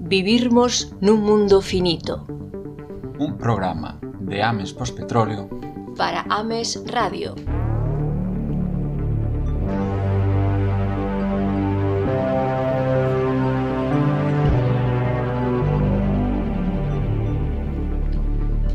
Vivirmos nun mundo finito. Un programa de Ames Pospetróleo para Ames Radio.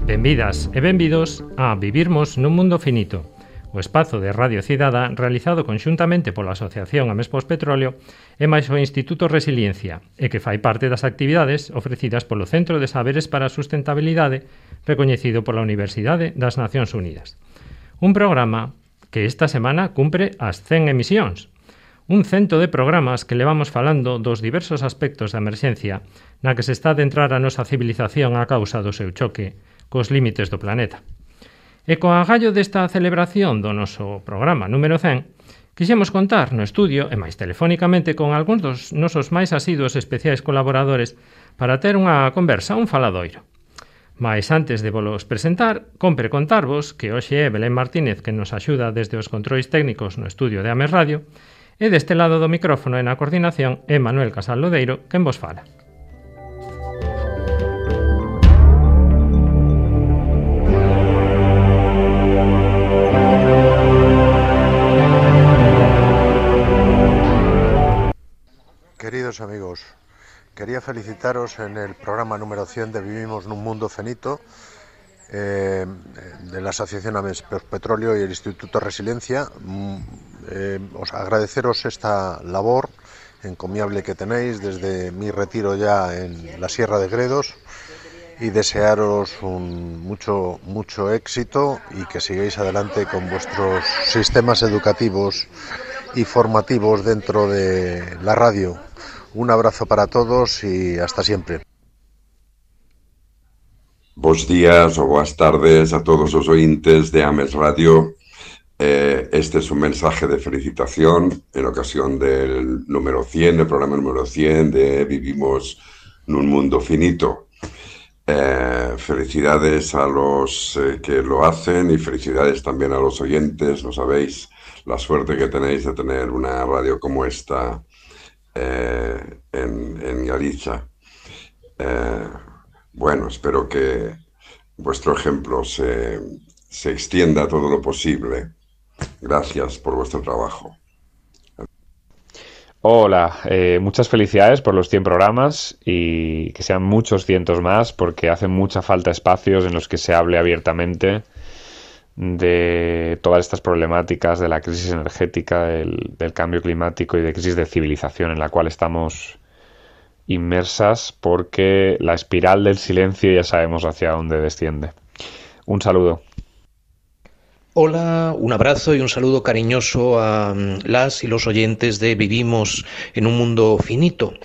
Benvidas e benvidos a Vivirmos nun mundo finito, o espazo de Radio Cidada realizado conxuntamente pola Asociación Ames Pospetróleo e máis o Instituto Resiliencia, e que fai parte das actividades ofrecidas polo Centro de Saberes para a Sustentabilidade, recoñecido pola Universidade das Nacións Unidas. Un programa que esta semana cumpre as 100 emisións. Un cento de programas que levamos falando dos diversos aspectos da emerxencia na que se está a adentrar a nosa civilización a causa do seu choque cos límites do planeta. E co agallo desta celebración do noso programa número 100, quixemos contar no estudio e máis telefónicamente con algúns dos nosos máis asiduos especiais colaboradores para ter unha conversa, un faladoiro. Mais antes de volos presentar, compre contarvos que hoxe é Belén Martínez que nos axuda desde os controis técnicos no estudio de Ames Radio e deste lado do micrófono e na coordinación é Manuel Casal Lodeiro quen vos fala. Queridos amigos, quería felicitaros en el programa número 100 de Vivimos nun mundo finito de la Asociación Ames Pospetróleo y el Instituto Resiliencia. Os agradeceros esta labor encomiable que tenéis desde mi retiro ya en la Sierra de Gredos y desearos mucho éxito y que sigáis adelante con vuestros sistemas educativos y formativos dentro de la radio. Un abrazo para todos y hasta siempre. Bos días ou boas tardes a todos os ointes de Ames Radio. Este es un mensaje de felicitación en ocasión del número 100, el programa número 100 de Vivimos nun mundo finito. Felicidades a los que lo hacen y felicidades también a los oyentes. No sabéis la suerte que tenéis de tener una radio como esta en Galicia. Bueno, espero que vuestro ejemplo se extienda todo lo posible. Gracias por vuestro trabajo. Hola, muchas felicidades por los 100 programas y que sean muchos cientos más porque hacen mucha falta espacios en los que se hable abiertamente de todas estas problemáticas de la crisis energética, del cambio climático y de crisis de civilización en la cual estamos inmersas porque la espiral del silencio ya sabemos hacia dónde desciende. Un saludo. Hola, un abrazo y un saludo cariñoso a las y los oyentes de Vivimos en un mundo finito.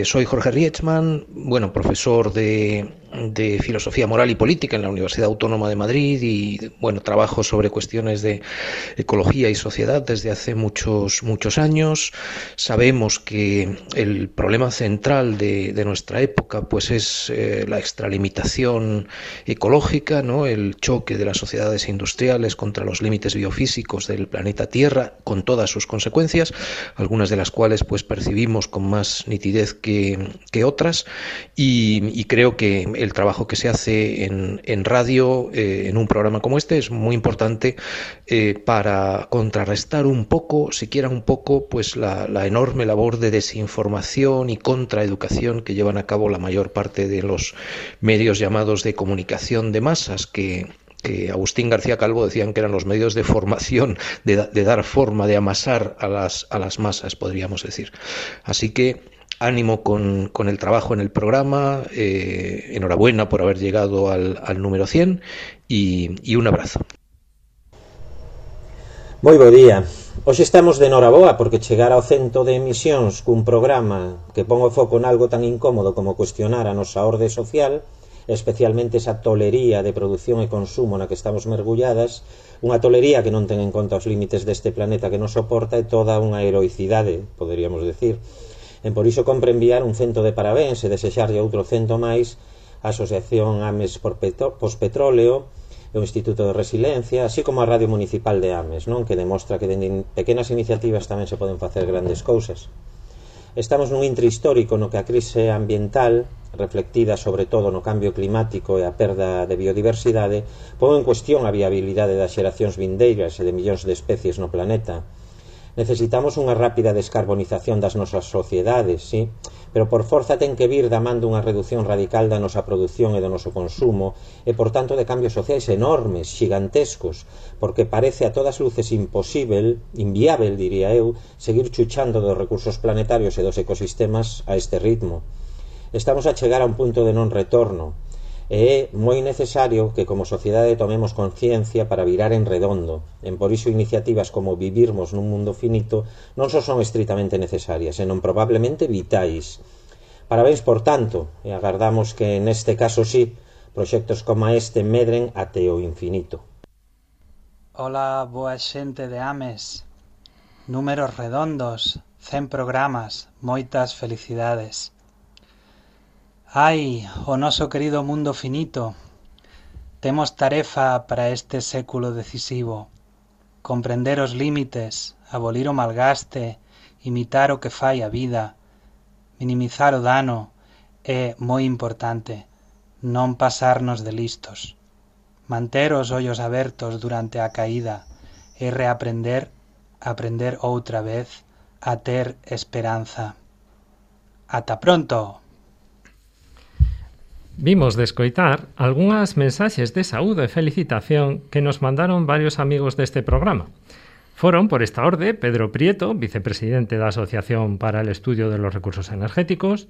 Soy Jorge Rietzmann, profesor de Filosofía Moral y Política en la Universidad Autónoma de Madrid y, trabajo sobre cuestiones de ecología y sociedad desde hace muchos años. Sabemos que el problema central de nuestra época pues es la extralimitación ecológica, ¿no? El choque de las sociedades industriales contra los límites biofísicos del planeta Tierra con todas sus consecuencias, algunas de las cuales pues percibimos con más nitidez que otras y creo que el trabajo que se hace en radio, en un programa como este, es muy importante para contrarrestar un poco, siquiera un poco, pues la enorme labor de desinformación y contraeducación que llevan a cabo la mayor parte de los medios llamados de comunicación de masas, que Agustín García Calvo decían que eran los medios de formación, de dar forma, de amasar a las masas, podríamos decir. Así que ánimo con el trabajo en el programa, enhorabuena por haber llegado al número 100 y un abrazo. Moi bo día. Hoxe estamos de noraboa porque chegar ao 100 de emisións cun programa que pon o foco en algo tan incómodo como cuestionar a nosa orde social, especialmente esa tolería de produción e consumo na que estamos mergulladas, unha tolería que non ten en conta os límites deste planeta que nos soporta e toda unha heroicidade, poderíamos decir. En por iso compre enviar un cento de parabéns e desexarlle outro cento máis á Asociación Ames Pospetróleo e o Instituto de Resiliencia, así como a Radio Municipal de Ames, non? Que demostra que dende pequenas iniciativas tamén se poden facer grandes cousas. Estamos nun intre histórico no que a crise ambiental, reflectida sobre todo no cambio climático e a perda de biodiversidade, pon en cuestión a viabilidade das xeracións vindeiras e de millóns de especies no planeta. Necesitamos unha rápida descarbonización das nosas sociedades, sí, pero por forza ten que vir da man dunha reducción radical da nosa produción e do noso consumo e, por tanto, de cambios sociais enormes, xigantescos, porque parece a todas luces inviável, diría eu, seguir chuchando dos recursos planetarios e dos ecosistemas a este ritmo. Estamos a chegar a un punto de non retorno e é moi necesario que como sociedade tomemos conciencia para virar en redondo. En por iso iniciativas como Vivirmos nun mundo finito non só son estritamente necesarias, senón probablemente vitais. Parabéns por tanto, e agardamos que neste caso sí, proxectos como este medren até o infinito. Ola, boa xente de Ames. Números redondos, 100 programas, moitas felicidades. Ai, o noso querido mundo finito. Temos tarefa para este século decisivo. Comprender os límites, abolir o malgaste, imitar o que fai a vida, minimizar o dano e, moi importante, non pasarnos de listos. Manter os ollos abertos durante a caída e reaprender, aprender outra vez, a ter esperanza. Ata pronto! Vimos de escoitar algunhas mensaxes de saúde e felicitación que nos mandaron varios amigos deste programa. Foron, por esta orde, Pedro Prieto, vicepresidente da Asociación para el Estudio de los Recursos Energéticos,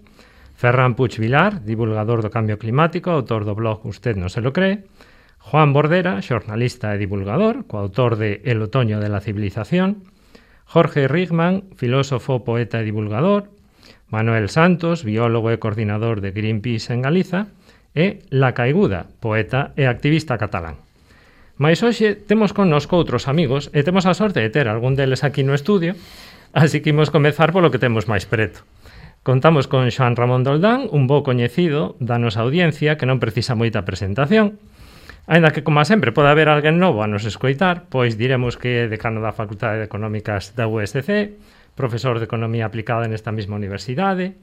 Ferran Puig Vilar, divulgador do Cambio Climático, autor do blog Usted no se lo cree, Juan Bordera, xornalista e divulgador, coautor de El otoño de la civilización, Jorge Rigman, filósofo, poeta e divulgador, Manuel Santos, biólogo e coordinador de Greenpeace en Galiza, e La Caiguda, poeta e activista catalán. Mais hoxe temos connosco outros amigos e temos a sorte de ter algún deles aquí no estudio, así que imos comezar polo que temos máis preto. Contamos con Xoán Ramón Doldán, un bo coñecido da nosa audiencia que non precisa moita presentación. Aínda que, como sempre, pode haber alguén novo a nos escoitar, pois diremos que é decano da Facultade de Económicas da USC, profesor de Economía Aplicada nesta mesma universidade,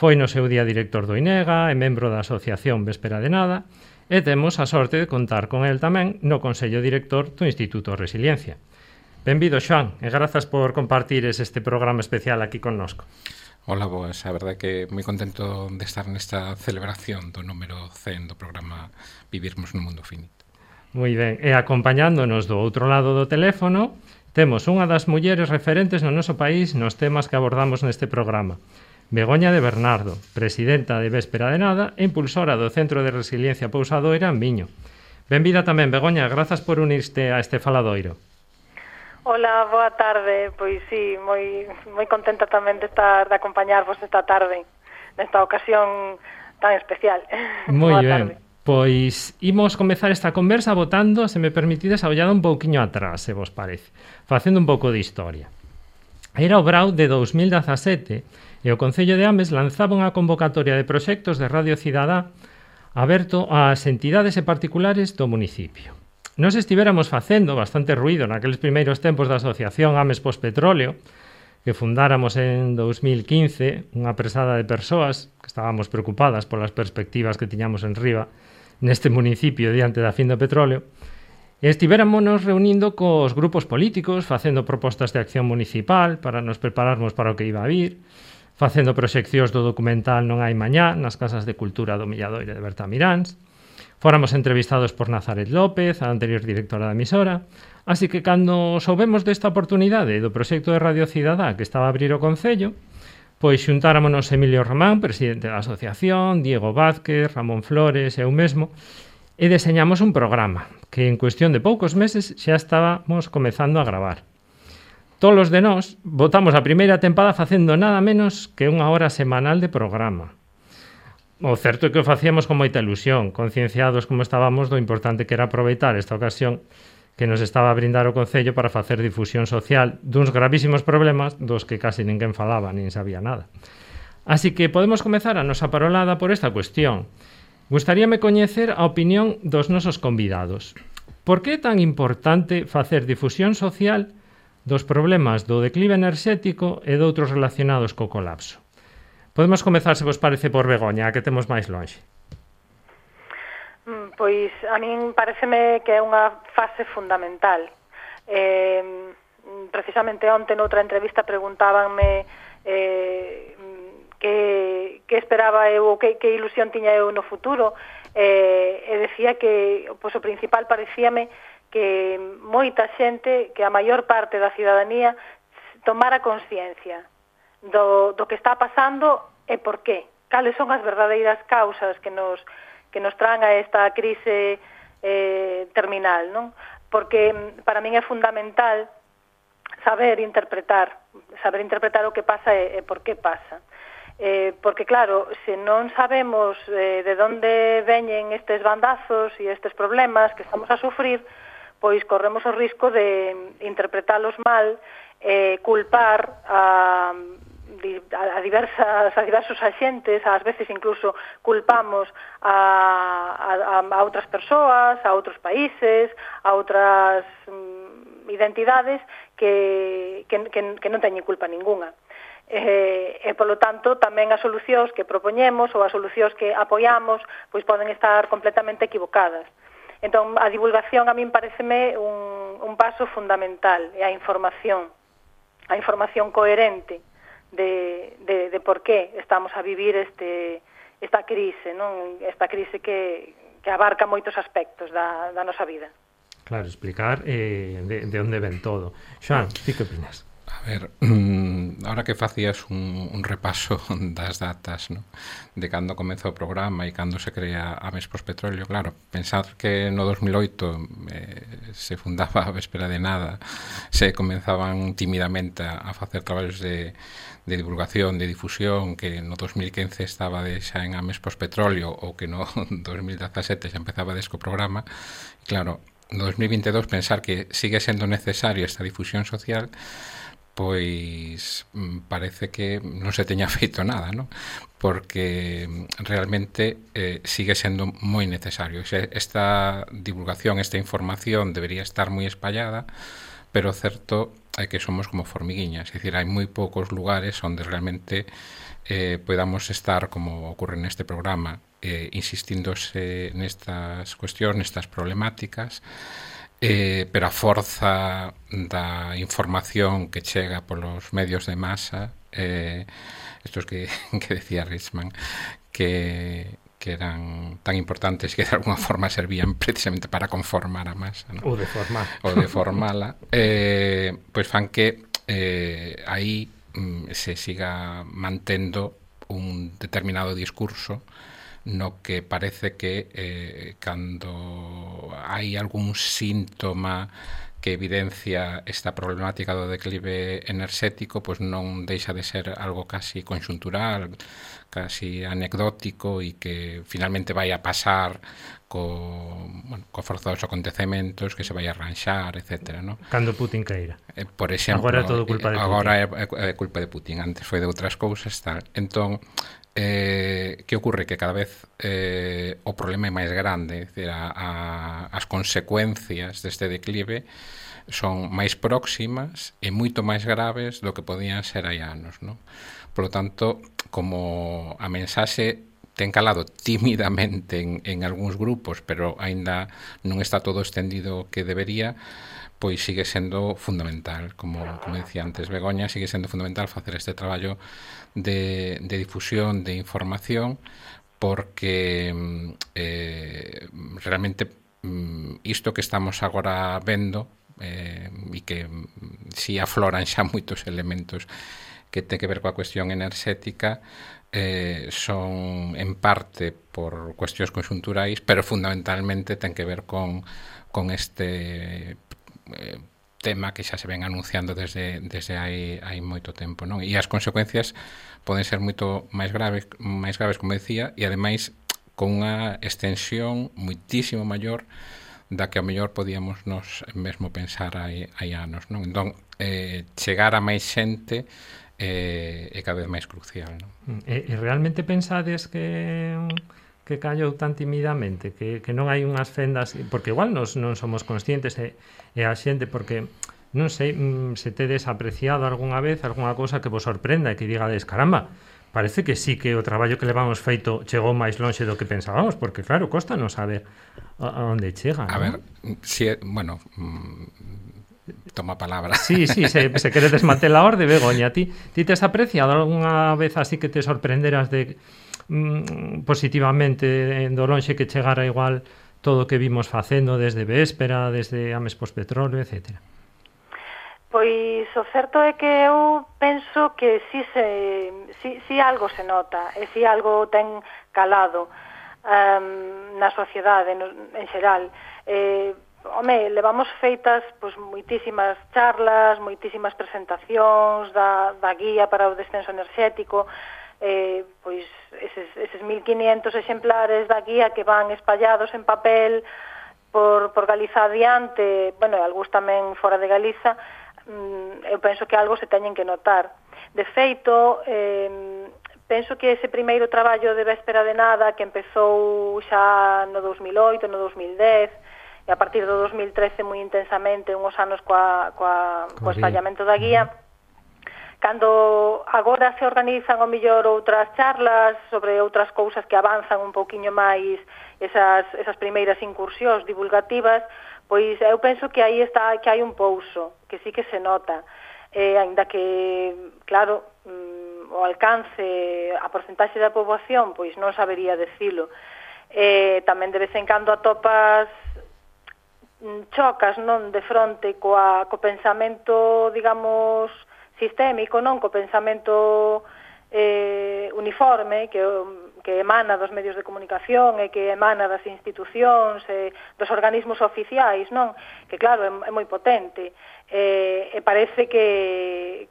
foi no seu día director do INEGA e membro da Asociación Véspera de Nada, e temos a sorte de contar con el tamén no Consello Director do Instituto Resiliencia. Benvido, Xoán, e grazas por compartires este programa especial aquí connosco. Hola, boas, a verdade que moi contento de estar nesta celebración do número 100 do programa Vivirmos nun mundo finito. Moi ben, e acompañándonos do outro lado do teléfono, temos unha das mulleres referentes no noso país nos temas que abordamos neste programa. Begoña de Bernardo, presidenta de Véspera de Nada e impulsora do Centro de Resiliencia Pousadoira en Miño. Benvida tamén, Begoña, grazas por unirte a este faladoiro. Hola, boa tarde. Pois sí, moi contenta tamén de acompañarvos esta tarde, nesta ocasión tan especial. Moi ben. Pois imos comezar esta conversa votando, se me permitides, a ollada un pouquiño atrás, se vos parece, facendo un pouco de historia. Era o brau de 2017 e o Concello de Ames lanzaba unha convocatoria de proxectos de Radio Cidadá aberto ás entidades e particulares do municipio. Nos estivéramos facendo bastante ruído naqueles primeiros tempos da Asociación Ames Pospetróleo, que fundáramos en 2015, unha presada de persoas que estábamos preocupadas polas perspectivas que tiñamos en riba neste municipio diante da fin do petróleo, e estivéramonos reunindo cos grupos políticos, facendo propostas de acción municipal para nos prepararmos para o que iba a vir, facendo proxeccións do documental Non hai mañá nas casas de cultura do Milladoiro de Bertamiráns. Fóramos entrevistados por Nazaret López, a anterior directora da emisora, así que cando soubemos desta oportunidade do proxecto de Radio Cidadá que estaba a abrir o Concello, pois xuntáramonos Emilio Román, presidente da asociación, Diego Vázquez, Ramón Flores e eu mesmo, e deseñamos un programa que en cuestión de poucos meses xa estábamos comezando a gravar. Tolos de nós votamos a primeira tempada facendo nada menos que unha hora semanal de programa. O certo é que o facíamos con moita ilusión, concienciados como estábamos do importante que era aproveitar esta ocasión que nos estaba a brindar o Concello para facer difusión social duns gravísimos problemas dos que casi ninguén falaba nin sabía nada. Así que podemos comezar a nosa parolada por esta cuestión. Gustaríame coñecer a opinión dos nosos convidados. Por que é tan importante facer difusión social dos problemas do declive enerxético e doutros relacionados co colapso. Podemos comezar, se vos parece, por Begoña, a que temos máis lonxe. Pois a min pareceme que é unha fase fundamental. Precisamente onte noutra entrevista preguntábanme que esperaba eu, que ilusión tiña eu no futuro, e decía que pois, o principal parecíame que moita xente, que a maior parte da cidadanía tomara consciencia do que está pasando e por qué, cales son as verdadeiras causas que nos traen a esta crise terminal, non? Porque para min é fundamental saber interpretar o que pasa e por que pasa. Porque claro, se non sabemos de onde veñen estes bandazos e estes problemas que estamos a sufrir, pois corremos o risco de interpretalos mal, culpar a diversos axentes, ás veces incluso culpamos a outras persoas, a outros países, a outras identidades que non teñen culpa ninguna. E, polo tanto, tamén as solucións que propoñemos ou as solucións que apoiamos pois poden estar completamente equivocadas. Entón, a divulgación a min pareceme un paso fundamental, e a información coherente de por qué estamos a vivir esta crise, non? Esta crise que abarca moitos aspectos da nosa vida. Claro, explicar de onde ven todo. Xoan, ti que opinas? A ver, ahora que facías un repaso das datas, ¿no? De cando comeza o programa e cando se crea Ames Pospetróleo, claro, pensar que no 2008 se fundaba a véspera de nada, se comenzaban timidamente a facer traballos de divulgación, de difusión, que no 2015 estaba xa en Ames Pospetróleo ou que no 2017 xa empezaba desco programa, e claro, no 2022 pensar que sigue sendo necesario esta difusión social, pois parece que non se teña feito nada, ¿no? Porque realmente sigue sendo moi necesario. Esta divulgación, esta información debería estar moi espallada, pero certo é que somos como formiguiñas, é dicir, hai moi poucos lugares onde realmente podamos estar, como ocorre neste programa, insistíndose nestas cuestións, nestas problemáticas, pero a forza da información que chega polos medios de masa, estos que decía Richman, que eran tan importantes que de alguna forma servían precisamente para conformar a masa, ¿no? Ou deformala, pois fan que aí se siga mantendo un determinado discurso no que parece que cando hai algún síntoma que evidencia esta problemática do declive enerxético, pois non deixa de ser algo casi conxuntural, casi anecdótico, e que finalmente vai a pasar co forzados acontecementos, que se vai a arranxar, etc. ¿no? Cando Putin caíra. Por exemplo, agora é todo culpa de Putin. Agora é culpa de Putin, antes foi de outras cousas, tal. Entón, que ocorre? Que cada vez o problema é máis grande, é dicir, as consecuencias deste declive son máis próximas e moito máis graves do que podían ser hai anos, non? Por lo tanto, como a mensaxe ten calado tímidamente en algúns grupos, pero aínda non está todo estendido que debería, pois sigue sendo fundamental, como decía antes Begoña, sigue sendo fundamental facer este traballo de difusión, de información, porque realmente isto que estamos agora vendo, e que si afloran xa moitos elementos que ten que ver coa cuestión enerxética, son en parte por cuestións conxunturais, pero fundamentalmente ten que ver con este tema que xa se ven anunciando desde hai moito tempo, non? E as consecuencias poden ser moito máis graves, como decía, e ademais con unha extensión moitísimo maior da que ao mellor podíamos nos mesmo pensar hai anos, non? Entón, chegar a máis xente é cada vez máis crucial, non? E realmente pensades que callou tan timidamente, que non hai unhas fendas, porque igual non somos conscientes e a xente, porque non sei se tedes apreciado algunha vez algunha cousa que vos sorprenda e que digades, caramba, parece que sí que o traballo que levamos feito chegou máis lonxe do que pensábamos, porque claro, costa non saber a onde chega. A ver, si, bueno, toma palabra. Sí, se queredes manter a orde, Begoña, ti tes apreciado algunha vez así que te sorprenderas de positivamente do lonxe que chegara igual todo o que vimos facendo desde Véspera, desde Ames Pospetróleo, etcétera? Pois o certo é que eu penso que si algo se nota, e si algo ten calado na sociedade en xeral. Levamos feitas pois moitísimas charlas, moitísimas presentacións da guía para o descenso enerxético, pois eses 1500 exemplares da guía que van espallados en papel por Galiza adiante, bueno, algúns tamén fora de Galiza. Eu penso que algo se teñen que notar. De feito, penso que ese primeiro traballo de Véspera de Nada que empezou xa no 2008, no 2010 e a partir do 2013 moi intensamente, unhos anos co espallamento da guía, cando agora se organizan ao mellor outras charlas sobre outras cousas que avanzan un pouquiño máis esas primeiras incursións divulgativas, pois eu penso que aí está, que hai un pouso, que sí que se nota, aínda que, claro, o alcance, a porcentaxe da poboación, pois non sabería decilo. Tamén de vez en cando atopas chocas, non, de fronte co pensamento, digamos, sistémico, non, co pensamento uniforme que emana dos medios de comunicación e que emana das institucións e dos organismos oficiais, non? Que claro, é moi potente e parece que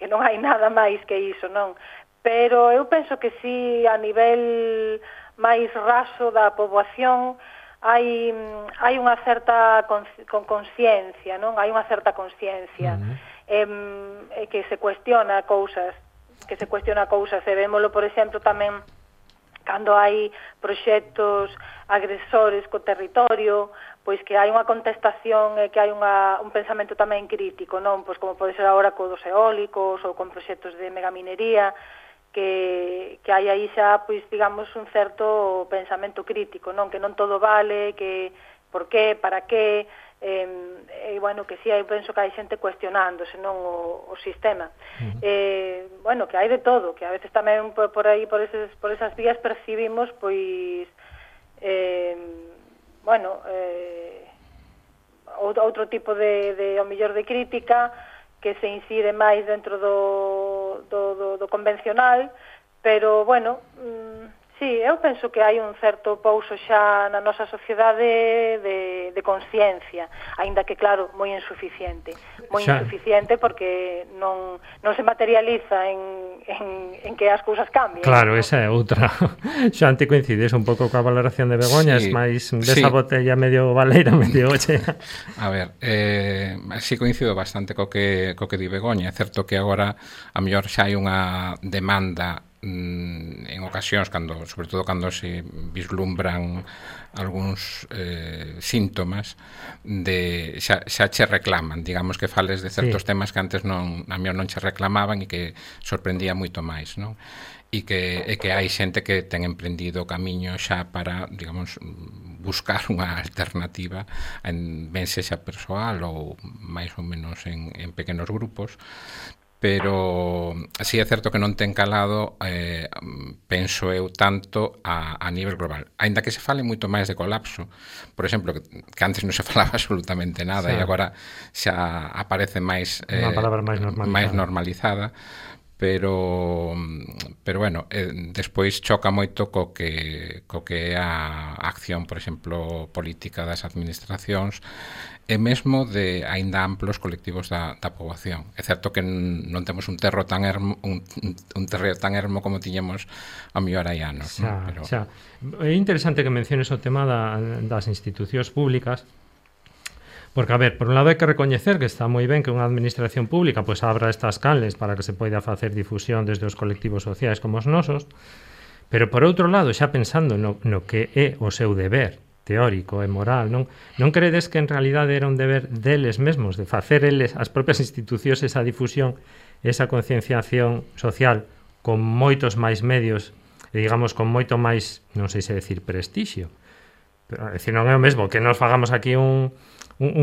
non hai nada máis que iso, non? Pero eu penso que si a nivel máis raso da poboación hai unha certa consciencia, non? Hai unha certa consciencia que se cuestiona cousas, e vémolo, por exemplo, tamén cando hai proxectos agresores co territorio, pois que hai unha contestación e que hai un pensamento tamén crítico, non? Pois como pode ser agora co dos eólicos ou con proxectos de megaminería, que hai aí xa, pois, digamos, un certo pensamento crítico, non? Que non todo vale, que por qué, para qué, e, bueno, que si, eu penso que hai xente cuestionándose, non, o sistema. Bueno, que hai de todo, que a veces tamén por aí, por esas vías percibimos, pois, bueno, outro tipo de, ao mellor, de crítica que se incide máis dentro do convencional, pero, bueno, sí, eu penso que hai un certo pouso xa na nosa sociedade de consciencia, aínda que, claro, moi insuficiente porque non se materializa en que as cousas cambien. Claro, esa é outra. Xa te coincides un pouco coa valoración de Begoña, sí, máis desa botella medio baleira, medio chea. A ver, si coincido bastante co que di Begoña. É certo que agora a mellor xa hai unha demanda en ocasións, sobre todo cando se vislumbran algúns síntomas de xa che reclaman, digamos, que fales de certos temas que antes a mellor non che reclamaban e que sorprendía moito máis, non? E que hai xente que ten emprendido o camiño xa para, digamos, buscar unha alternativa, ben sexa persoal ou máis ou menos en pequenos grupos. Pero así é certo que non ten calado, penso eu, tanto a nivel global. Aínda que se fale moito máis de colapso, por exemplo, que antes non se falaba absolutamente nada, e agora xa aparece máis unha palabra máis normalizada. Pero bueno, despois choca moito co que é a acción, por exemplo, política das administracións e mesmo de aínda amplos colectivos da poboación. É certo que non temos un terreo tan ermo como tiñemos a mellor hai anos. Xa. É interesante que menciones o tema das institucións públicas, porque, a ver, por un lado hai que recoñecer que está moi ben que unha administración pública pois abra estas canles para que se poida facer difusión desde os colectivos sociais como os nosos, pero por outro lado, xa pensando no que é o seu deber teórico e moral, non credes que en realidade era un deber deles mesmos, de facer eles, as propias institucións, esa difusión, esa concienciación social con moitos máis medios e, digamos, con moito máis, non sei se decir prestixio, pero, decir, non é o mesmo que nos fagamos aquí un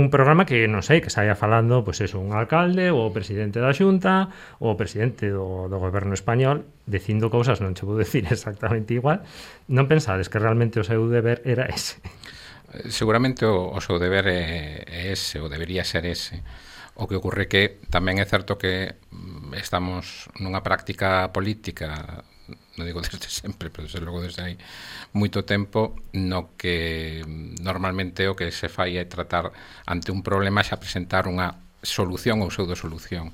programa que, non sei, que saia falando, pois eso, un alcalde, ou o presidente da Xunta, ou o presidente do goberno español, dicindo cousas, non che vou decir exactamente igual. Non pensades que realmente o seu deber era ese? Seguramente o seu deber é ese, ou debería ser ese. O que ocorre que tamén é certo que estamos nunha práctica política, non digo desde sempre, pero desde logo desde hai moito tempo, no que normalmente o que se fai é tratar ante un problema xa presentar unha solución ou pseudosolución.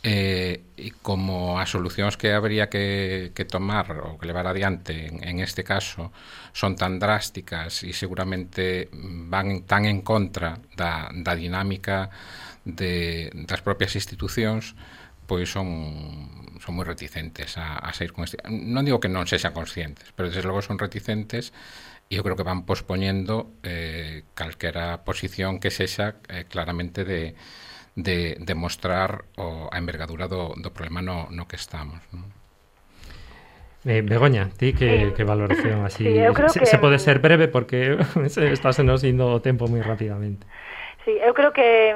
E como as solucións que habría que tomar ou que levar adiante en este caso son tan drásticas e seguramente van tan en contra da dinámica das propias institucións, pois son moi reticentes a sair con este. Non digo que non sexan conscientes, pero desde logo son reticentes e eu creo que van pospoñendo calquera posición que sexa claramente de mostrar a envergadura do problema no que estamos, non? Begoña, ti que valoración así? Sí, se pode ser breve porque estás nos indo o tempo moi rapidamente. Sí, eu creo que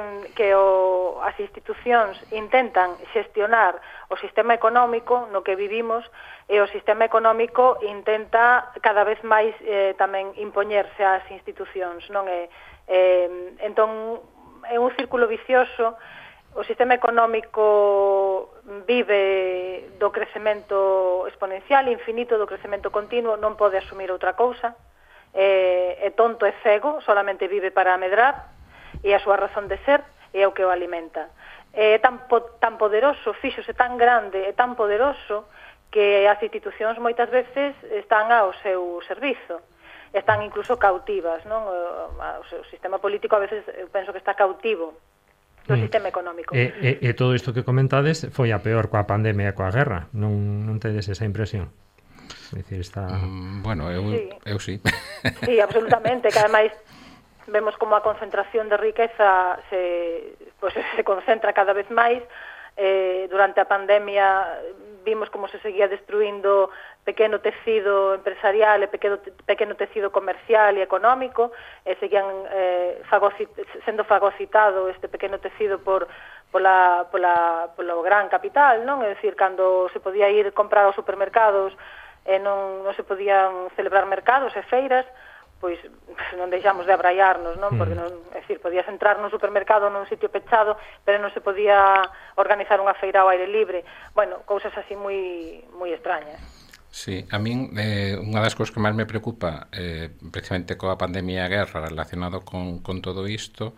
as institucións intentan xestionar o sistema económico no que vivimos e o sistema económico intenta cada vez máis tamén impoñerse ás institucións, non é? Entón, é un círculo vicioso. O sistema económico vive do crecemento exponencial, infinito, do crecemento continuo, non pode asumir outra cousa, é tonto e cego, solamente vive para medrar, e a súa razón de ser é o que o alimenta. É tan poderoso, fíxose tan grande e tan poderoso que as institucións moitas veces están ao seu servizo, están incluso cautivas, non? O seu sistema político a veces eu penso que está cautivo do sistema económico. E todo isto que comentades foi a peor coa pandemia e coa guerra, non tedes esa impresión? É dicir, está... Bueno, eu sí. Sí, absolutamente, que ademais vemos como a concentración de riqueza se concentra cada vez máis. Durante a pandemia vimos como se seguía destruindo pequeno tecido empresarial e pequeno tecido comercial e económico, e seguían sendo fagocitado este pequeno tecido polo gran capital, non? É dicir, cando se podía ir comprar aos supermercados e non se podían celebrar mercados e feiras, pois non deixamos de abraiarnos, non? Porque non, é dicir, podías entrar nun supermercado nun sitio pechado, pero non se podía organizar unha feira ao aire libre. Bueno, cousas así moi extrañas. Sí, a min unha das cousas que máis me preocupa precisamente coa pandemia e a guerra relacionado con todo isto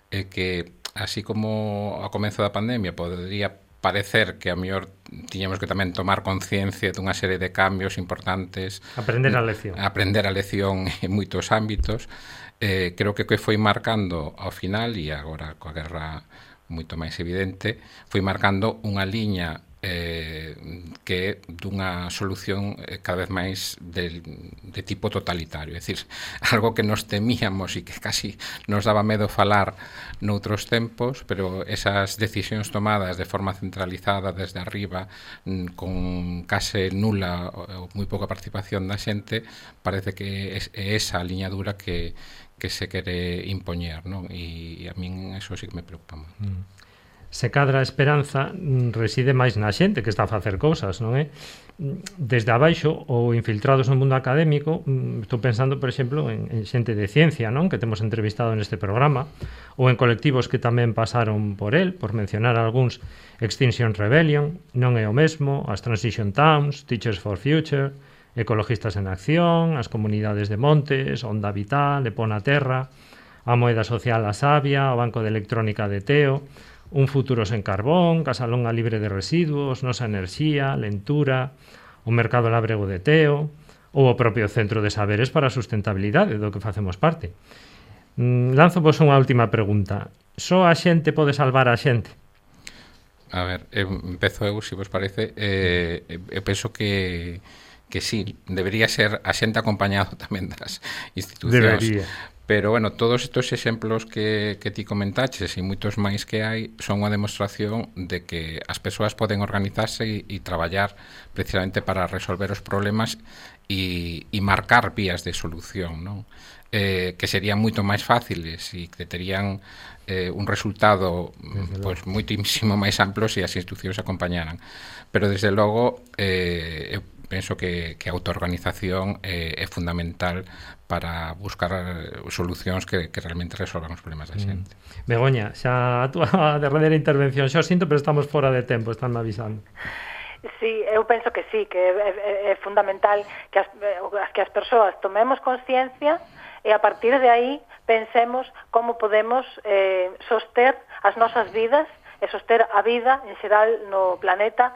é que así como ao comezo da pandemia podría parecer que a mellor tiñamos que tamén tomar conciencia dunha serie de cambios importantes, aprender a lección en moitos ámbitos, creo que foi marcando ao final, e agora coa guerra moito máis evidente, foi marcando unha liña que é dunha solución cada vez máis de tipo totalitario, é dicir, algo que nos temíamos e que casi nos daba medo falar noutros tempos, pero esas decisións tomadas de forma centralizada desde arriba, con case nula ou moi pouca participación da xente, parece que é esa a liña dura que se quere impoñer, non? E a min eso sí que me preocupa moito. Se cadra a esperanza reside máis na xente que está a facer cousas, non é? Desde abaixo ou infiltrados no mundo académico, estou pensando, por exemplo, en xente de ciencia, non? Que temos entrevistado neste programa, ou en colectivos que tamén pasaron por el, por mencionar algúns, Extinction Rebellion, Non é o mesmo, as Transition Towns, Teachers for Future, Ecologistas en Acción, as Comunidades de Montes, Onda Vital, Epona Terra, a Moeda Social A Sabia, o Banco de Electrónica de Teo, Un futuro sen carbón, Casalonga libre de residuos, Nosa Enerxía, Lentura, o Mercado Lábrego de Teo, ou o propio Centro de Saberes para a Sustentabilidade, do que facemos parte. Lanzo vos unha última pregunta. Só a xente pode salvar a xente? A ver, empezo eu, se vos parece. Eu penso que que sí, debería ser a xente acompañado tamén das institucións. Debería. Pero, bueno, todos estes exemplos que ti comentaches e moitos máis que hai son unha demostración de que as persoas poden organizarse e traballar precisamente para resolver os problemas e marcar vías de solución, non? Que serían moito máis fáciles e que terían un resultado pois moitísimo máis amplo se as institucións acompañaran. Pero, desde logo, eu penso que a autoorganización é fundamental para buscar solucións que realmente resolvan os problemas da xente. Begoña, xa a túa derradeira intervención, xa o sinto, pero estamos fora de tempo, estánme avisando. Sí, eu penso que sí, que é fundamental que as persoas tomemos consciencia e a partir de aí pensemos como podemos soster as nosas vidas e soster a vida en xeral no planeta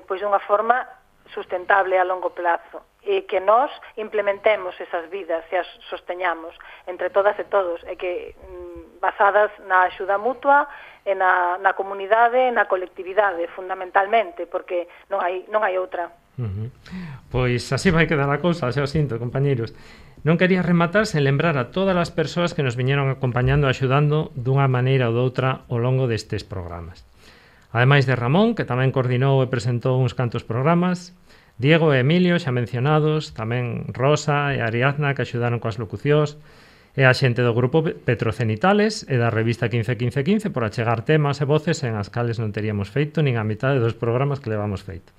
pois dunha forma sustentable a longo plazo e que nós implementemos esas vidas e as sosteñamos entre todas e todos e que basadas na axuda mutua e na comunidade, na colectividade fundamentalmente, porque non hai outra. Pois así vai quedar a cousa, xa o sinto, compañeiros. Non quería rematar sen lembrar a todas as persoas que nos viñeron acompañando e axudando dunha maneira ou doutra ao longo destes programas. Ademais de Ramón, que tamén coordinou e presentou uns cantos programas, Diego e Emilio, xa mencionados, tamén Rosa e Ariadna, que axudaron coas locucións, e a xente do grupo Petrocenitales e da revista 1515 por achegar temas e voces en as cales non teríamos feito nin a mitade dos programas que levamos feito.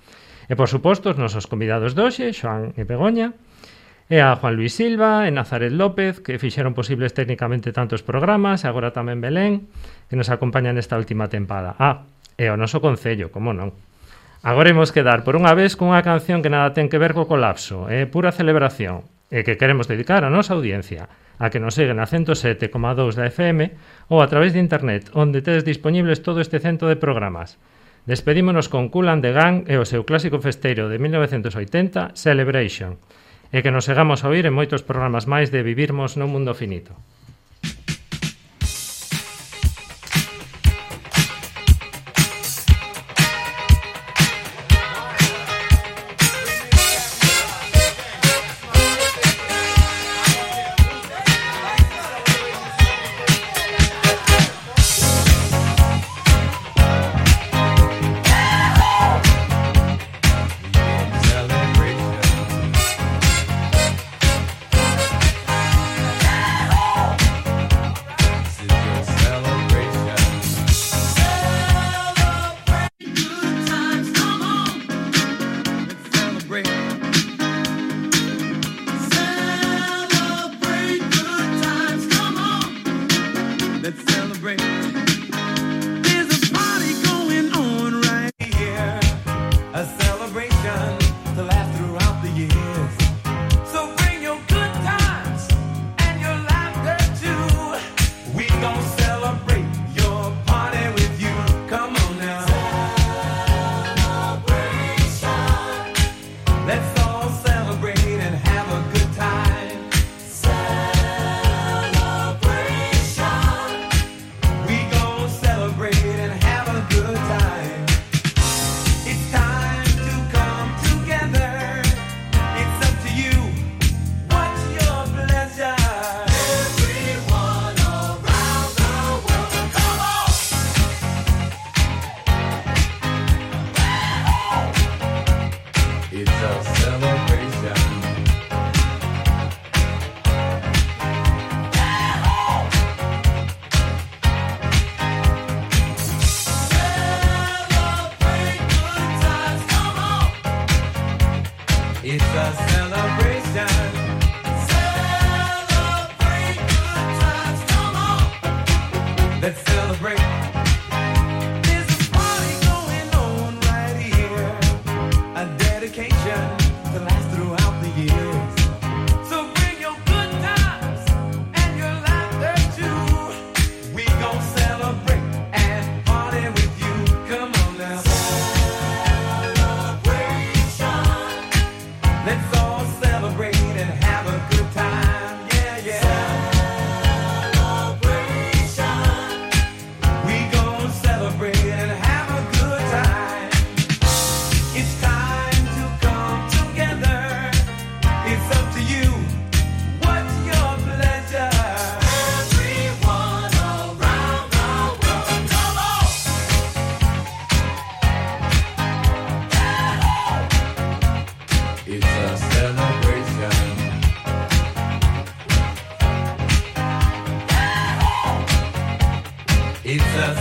E, por suposto, os nosos convidados de hoxe, Xoán e Begoña, e a Juan Luis Silva e Nazaret López, que fixeron posibles técnicamente tantos programas, e agora tamén Belén, que nos acompaña nesta última tempada. E o noso concello, como non. Agora imos quedar por unha vez cunha canción que nada ten que ver co colapso, é pura celebración, e que queremos dedicar a nosa audiencia, a que nos seguen a 107,2 da FM ou a través de internet, onde tedes disponibles todo este cento de programas. Despedímonos con Kool and the Gang e o seu clásico festeiro de 1980, Celebration, e que nos segamos a oír en moitos programas máis de Vivirmos nun Mundo Finito.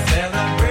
celebrate.